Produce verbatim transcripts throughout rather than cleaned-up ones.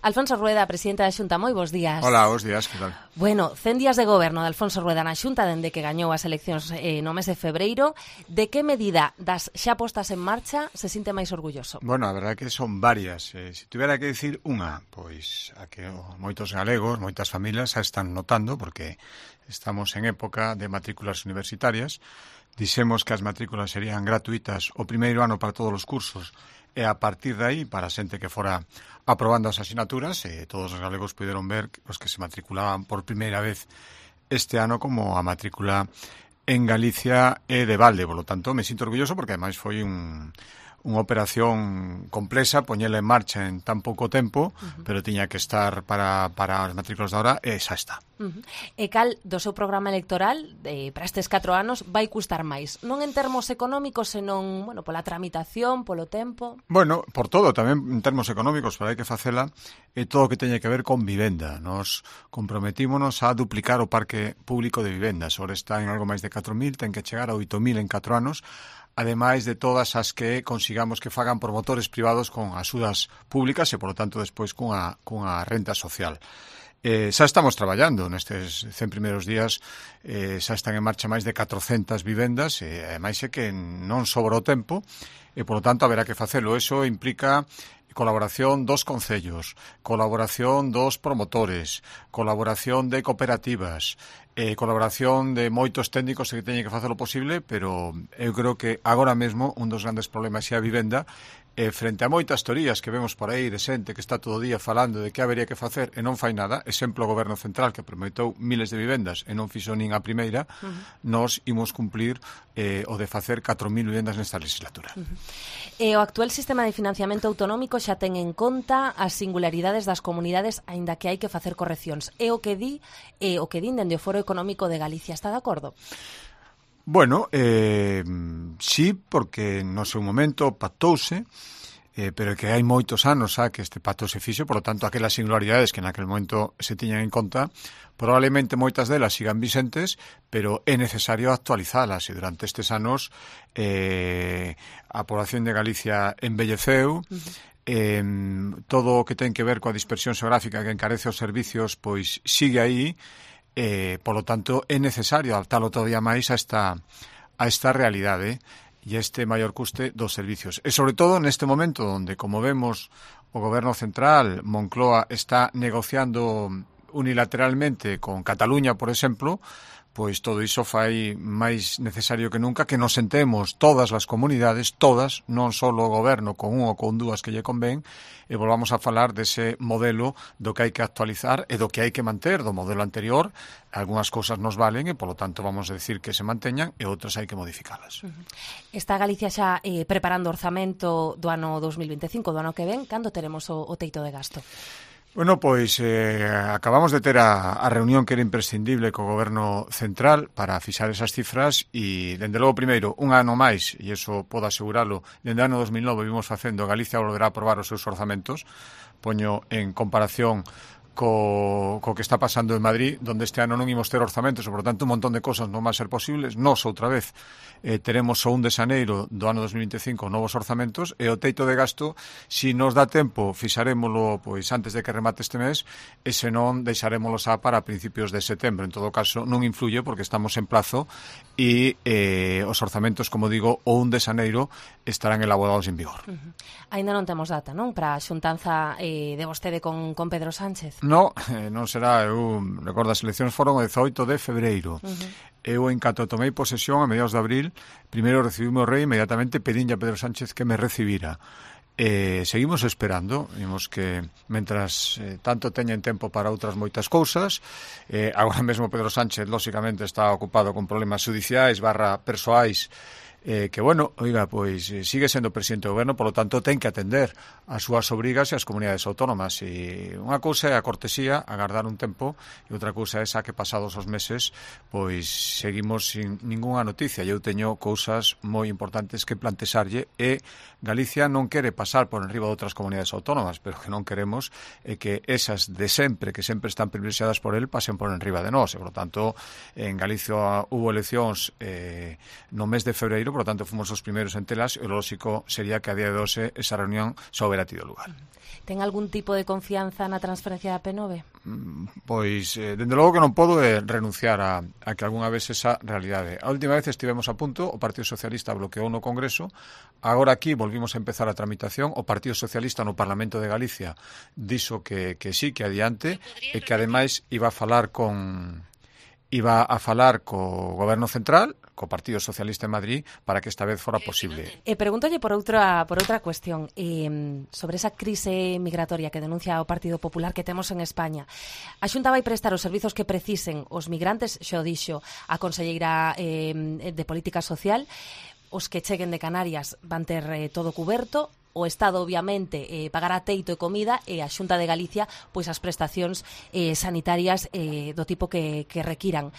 Alfonso Rueda, presidente da Xunta, moi bons días. Hola, bons días, que tal? Bueno, cen días de goberno de Alfonso Rueda na Xunta dende que gañou as eleccións eh, no mes de febreiro. De que medida das xa postas en marcha se sinte máis orgulloso? Bueno, a verdade que son varias. Eh, se tivera que dicir unha, pois a que oh, moitos galegos, moitas familias xa están notando, porque estamos en época de matrículas universitarias. Dixemos que as matrículas serían gratuitas o primeiro ano para todos os cursos, e a partir de aí, para a xente que fora aprobando as asignaturas, e todos os galegos puderon ver os que se matriculaban por primeira vez este ano como a matrícula en Galicia e de balde. Por lo tanto, me sinto orgulloso porque ademais foi un... unha operación complexa, poñela en marcha en tan pouco tempo, uh-huh. pero tiña que estar para, para as matrículas da hora, e xa está. Uh-huh. E cal do seu programa electoral eh, para estes catro anos vai custar máis? Non en termos económicos, senón, bueno, pola tramitación, polo tempo? Bueno, por todo, tamén en termos económicos, pero hai que facela, e todo o que teña que ver con vivenda. Nos comprometímonos a duplicar o parque público de vivendas. Ahora está en algo máis de catro mil, ten que chegar a oito mil en catro anos, ademais de todas as que consigamos que fagan promotores privados con axudas públicas e, por lo tanto, despois cunha, cunha renta social. Eh, xa estamos traballando nestes cen primeiros días, eh, xa están en marcha máis de catrocentas vivendas, e ademais é que non sobra o tempo, e, por lo tanto, haberá que facelo. Eso implica colaboración dos concellos, colaboración dos promotores, colaboración de cooperativas, eh, colaboración de moitos técnicos que teñen que facer o posible, pero eu creo que agora mesmo un dos grandes problemas é a vivenda, e frente a moitas teorías que vemos por aí de xente que está todo o día falando de que habería que facer e non fai nada, exemplo o Goberno Central que prometeu miles de vivendas e non fixo nin a primeira, uh-huh. nos imos cumplir eh, o de facer catro mil vivendas nesta legislatura. Uh-huh. E o actual sistema de financiamento autonómico xa ten en conta as singularidades das comunidades, aínda que hai que facer correccións. É o que di e o que din dende o Foro Económico de Galicia. Está de acordo? Bueno, eh, sí, porque no seu momento pactouse, eh, pero que hai moitos anos xa que este pacto se fixo, por lo tanto, aquelas singularidades que naquele momento se tiñan en conta, probablemente moitas delas sigan vixentes, pero é necesario actualizalas, e durante estes anos eh, a población de Galicia embelleceu, uh-huh. eh, todo o que ten que ver coa dispersión xeográfica que encarece os servicios, pois sigue aí. Eh, por lo tanto, é necesario adaptalo todavía máis a esta, a esta realidade e este maior custe dos servicios. E, sobre todo, neste momento onde, como vemos, o Goberno Central, Moncloa, está negociando unilateralmente con Cataluña, por exemplo, pois todo iso fai máis necesario que nunca que nos sentemos todas as comunidades, todas, non só o goberno con un ou con dúas que lle convén, e volvamos a falar dese modelo do que hai que actualizar e do que hai que manter do modelo anterior. Algúnas cousas nos valen e, polo tanto, vamos a decir que se manteñan e outras hai que modificalas. Uh-huh. Está Galicia xa eh, preparando o orzamento do ano dos mil veinticinco, do ano que ven. Cando teremos o, o teito de gasto? Bueno, pois eh, acabamos de ter a, a reunión que era imprescindible co Goberno Central para fixar esas cifras e, dende logo, primeiro, un ano máis, e iso podo aseguralo, dende o ano dos mil nove vimos facendo, Galicia volverá a aprobar os seus orzamentos, poño en comparación co, co que está pasando en Madrid, donde este ano non imos ter orzamentos, e, por tanto, un montón de cosas non van a ser posibles. Nos, outra vez, eh, teremos o un de xaneiro do ano dos mil veinticinco novos orzamentos, e o teito de gasto, si nos dá tempo, fixarémolo pois antes de que remate este mes, e se non, deixarémolo xa para principios de setembro. En todo caso, non influye porque estamos en plazo e eh, os orzamentos, como digo, o un de xaneiro estarán elaborados en vigor. Uh-huh. Ainda non temos data, non? Para a xuntanza eh, de vostede con, con Pedro Sánchez? No, eh, non será. Eu recordo, as eleccións foron o dezoito de febreiro. Uh-huh. Eu, en canto tomei posesión a mediados de abril, primeiro recibí o rei, inmediatamente pedinlle a Pedro Sánchez que me recibira. Eh, seguimos esperando, vimos que mentras eh, tanto teñen tempo para outras moitas cousas, eh, agora mesmo Pedro Sánchez, lóxicamente, está ocupado con problemas judiciais barra persoais, eh, que, bueno, oiga, pois eh, sigue sendo presidente do goberno, polo tanto, ten que atender as súas obrigas e as comunidades autónomas. E unha cousa é a cortesía, agardar un tempo, e outra cousa é esa que pasados os meses, pois seguimos sin ningunha noticia. E eu teño cousas moi importantes que plantexarlle, e Galicia non quere pasar por enriba de outras comunidades autónomas, pero que non queremos é que esas de sempre, que sempre están privilexiadas por el, pasen por enriba de nós. E, por lo tanto, en Galicia hubo eleccións eh, no mes de febreiro, posible, por lo tanto fomos os primeiros en telas, e o lóxico sería que a día de hoxe esa reunión xa houbera tido lugar. Ten algún tipo de confianza na transferencia da P nove? Pois, eh, dende logo que non podo eh, renunciar a, a que algunha vez esa realidade. A última vez estivemos a punto, o Partido Socialista bloqueou no Congreso, agora aquí volvimos a empezar a tramitación, o Partido Socialista no Parlamento de Galicia dixo que, que sí, que adiante, e que ademais iba a falar con iba a falar co Goberno Central, co Partido Socialista en Madrid, para que esta vez fora posible. E pregúntolle por outra por outra cuestión, eh, sobre esa crise migratoria que denuncia o Partido Popular que temos en España. A Xunta vai prestar os servizos que precisen os migrantes, xo dixo a conselleira eh, de Política Social, os que cheguen de Canarias van ter eh, todo cuberto, o Estado, obviamente, eh, pagará teito e comida, e a Xunta de Galicia, pois as prestacións eh, sanitarias eh, do tipo que, que requiran.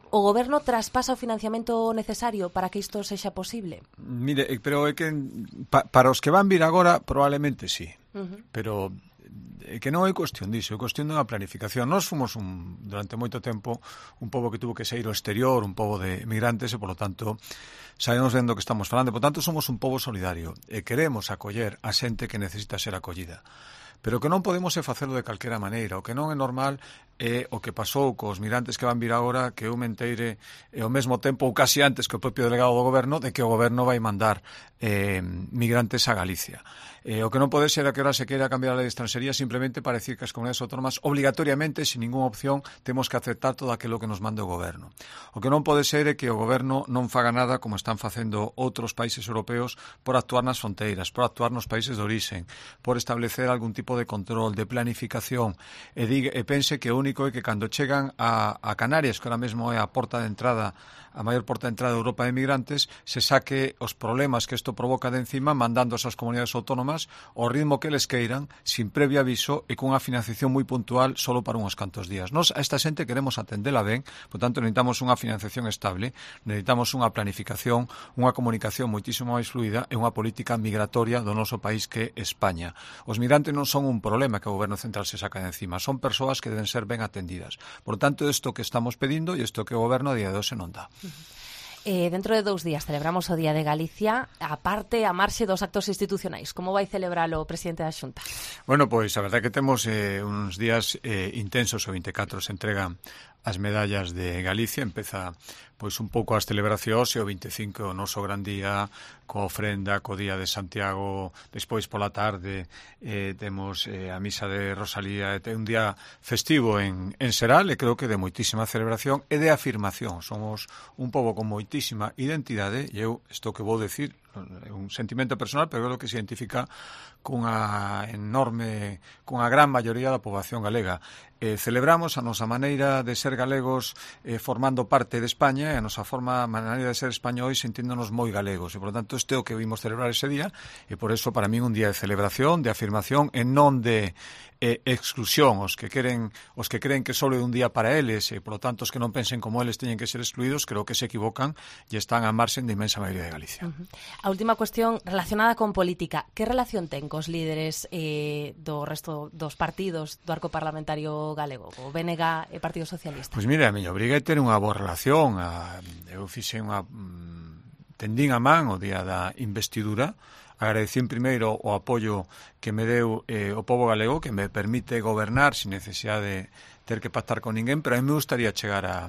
O Goberno traspasa o financiamento necesario para que isto sexa posible? Mire, pero é que pa, para os que van vir agora, probablemente sí. Uh-huh. Pero é que non é cuestión disso, é cuestión dunha planificación. Nós fomos un, durante moito tempo un pobo que tuvo que sair ao exterior, un pobo de migrantes, e, por lo tanto, sabemos vendo que estamos falando. Por tanto, somos un pobo solidario e queremos acoller a xente que necesita ser acollida. Pero que non podemos é facelo de calquera maneira. O que non é normal é o que pasou cos migrantes que van vir agora, que eu menteire e ao mesmo tempo, ou casi antes que o propio delegado do Goberno, de que o Goberno vai mandar eh, migrantes a Galicia. Eh, o que non pode ser a que ahora se queira cambiar a lei de extranxería simplemente para decir que as comunidades autónomas obligatoriamente, sin ninguna opción, temos que aceptar todo aquilo que nos mande o Goberno. O que non pode ser é que o Goberno non faga nada como están facendo outros países europeos por actuar nas fronteiras, por actuar nos países de orixen, por establecer algún tipo de control, de planificación, e, diga, e pense que o único é que cando chegan a, a Canarias, que ahora mesmo é a porta de entrada, a maior porta de entrada de Europa de migrantes, se saque os problemas que isto provoca de encima, mandando esas comunidades autónomas ao ritmo que les queiran, sin previo aviso e cunha financiación moi puntual solo para uns cantos días. Nos a esta xente queremos atendela ben, por tanto necesitamos unha financiación estable, necesitamos unha planificación, unha comunicación moitísimo máis fluida e unha política migratoria do noso país que é España. Os migrantes non son un problema que o Goberno Central se saca de encima, son persoas que deben ser ben atendidas. Por tanto, isto que estamos pedindo e isto que o Goberno a día de hoxe non dá. Eh, dentro de dous días celebramos o Día de Galicia, aparte a marxe dos actos institucionais. Como vai celebralo o presidente da Xunta? Bueno, pois a verdade é que temos eh, uns días eh, intensos. O vinte e catro se entregan as medallas de Galicia, empeza pois un pouco as celebracións, e o vinte e cinco o noso gran día, coa ofrenda, co día de Santiago, despois pola tarde eh, temos eh, a misa de Rosalía, e un día festivo en, en Seral, e creo que de moitísima celebración e de afirmación. Somos un pobo con moitísima identidade, e eu, isto que vou decir, é un sentimento personal, pero creo que se identifica cunha enorme, cunha gran maioría da poboación galega. Eh, celebramos a nosa maneira de ser galegos eh, formando parte de España, e a nosa forma, a maneira de ser españois sentíndonos moi galegos, e por lo tanto este é o que vimos celebrar ese día, e por eso para mí un día de celebración, de afirmación, e non de eh, exclusión. Os que queren, os que creen que só é un día para eles, e por lo tanto os que non pensen como eles teñen que ser excluídos, creo que se equivocan e están a marxen da inmensa maioría de Galicia. Uh-huh. A última cuestión relacionada con política. Que relación ten cos líderes eh, do resto dos partidos do arco parlamentario galego, o B N G e Partido Socialista? Pois mira, a miña obriga é ter unha boa relación. A, eu fixe unha tendín a man o día da investidura. Agradecín primeiro o apoio que me deu eh, o pobo galego, que me permite gobernar sin necesidade de ter que pactar con ninguén, pero a mí me gustaría chegar a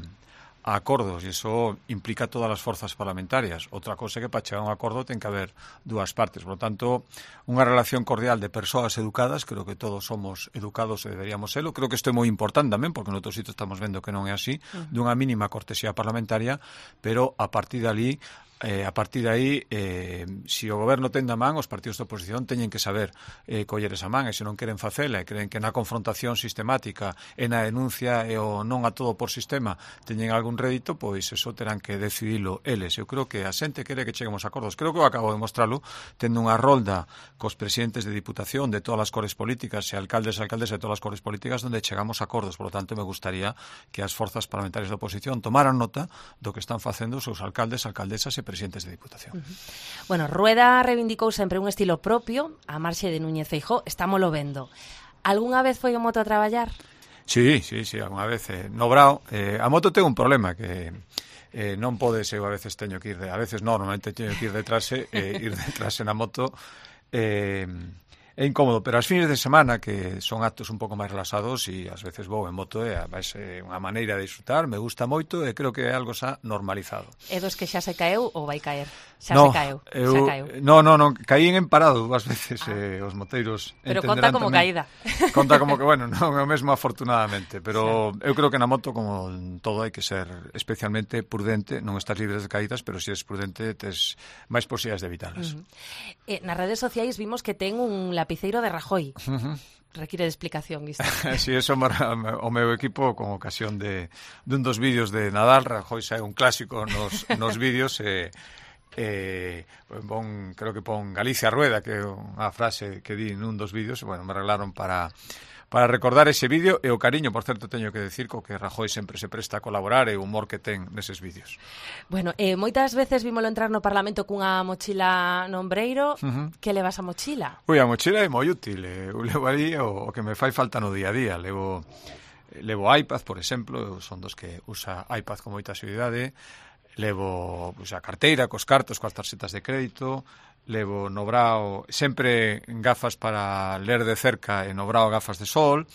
a acordos, e iso implica todas as forzas parlamentarias. Outra cosa é que para chegar a un acordo ten que haber dúas partes. Por lo tanto, unha relación cordial de persoas educadas, creo que todos somos educados e deberíamos serlo. Creo que isto é moi importante tamén, porque en outros sitios estamos vendo que non é así, dunha mínima cortesía parlamentaria, pero a partir de ali, Eh, a partir de aí, eh, se si o goberno ten da man, os partidos de oposición teñen que saber eh, coller esa man, e se non queren facela, e creen que na confrontación sistemática e na denuncia e o non a todo por sistema teñen algún rédito, pois eso terán que decidilo eles. Eu creo que a xente quere que cheguemos a acordos. Creo que eu acabo de mostralo tendo unha rolda cos presidentes de diputación de todas as cores políticas e alcaldes e alcaldes de todas as cores políticas onde chegamos a acordos. Por lo tanto, me gustaría que as forzas parlamentarias da oposición tomaran nota do que están facendo os seus alcaldes, alcaldesas e presidentes de Diputación. Uh-huh. Bueno, Rueda reivindicou sempre un estilo propio, a marxe de Núñez Feijóo, estámolo vendo. Algúnha vez foi o moto a traballar? Sí, sí, sí, algunha vez. Eh, no Brao, eh, a moto ten un problema, que eh, non podes, eu a veces teño que ir, de, a veces non, normalmente teño que ir detrás, eh, ir detrás na moto, eh, é incómodo, pero as fines de semana, que son actos un pouco máis relaxados, e ás veces vou en moto, e vai ser unha maneira de disfrutar, me gusta moito, e creo que é algo xa normalizado. É dos que xa se caeu ou vai caer? Xa no, se caeu, eu, xa caeu. No, no, non, caín en parado dúas veces, ah. eh, os moteiros pero conta como tamén, caída. Conta como que, bueno, non é o mesmo afortunadamente, pero sí. Eu creo que na moto, como en todo, hai que ser especialmente prudente, non estás libre de caídas, pero se si és prudente, tes máis posibilidades de evitarlas. Uh -huh. eh, nas redes sociais vimos que ten un lapiceiro de Rajoy. Uh -huh. Require de explicación isto. Si, sí, eso o meu equipo con ocasión de, de un dos vídeos de Nadal, Rajoy xa é un clásico nos, nos vídeos, e eh, bon, creo que pon Galicia Rueda, que é unha frase que di nun dos vídeos, bueno, me regalaron para para recordar ese vídeo, e o cariño, por certo, teño que decir, co que Rajoy sempre se presta a colaborar, e o humor que ten neses vídeos. Bueno, eh, moitas veces vímolo entrar no Parlamento cunha mochila no ombreiro. Uh -huh. Que levas a mochila? Ui, a mochila é moi útil, eu levo ali o, o que me fai falta no día a día, levo levo iPad, por exemplo, son dos que usa iPad con moita seguridade, levo pues, a carteira cos cartos, coas tarxetas de crédito, levo no brao sempre gafas para ler de cerca e no brao gafas de sol,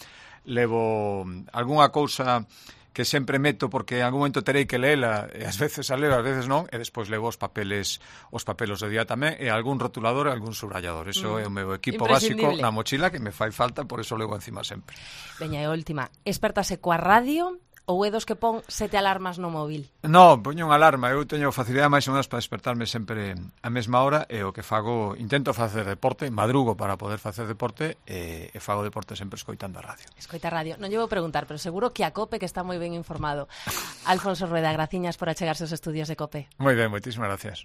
levo algunha cousa que sempre meto porque en algún momento terei que leela, e ás veces a leo, ás veces non, e despois levo os papeles os papelos do día tamén, e algún rotulador e algún subrayador. Eso mm. é o meu equipo básico na mochila, que me fai falta, por eso levo encima sempre. Veña, e última, espertase coa radio ou é dos que pon sete alarmas no móvil? Non, poño unha alarma. Eu teño facilidade máis ou menos para despertarme sempre a mesma hora, e o que fago, intento facer deporte, madrugo para poder facer deporte, e, e fago deporte sempre escoitando a radio. Escoita a radio. Non lle vou preguntar, pero seguro que a COPE, que está moi ben informado. Alfonso Rueda, graciñas por achegarse aos estudios de COPE. Moi ben, moitísimas gracias.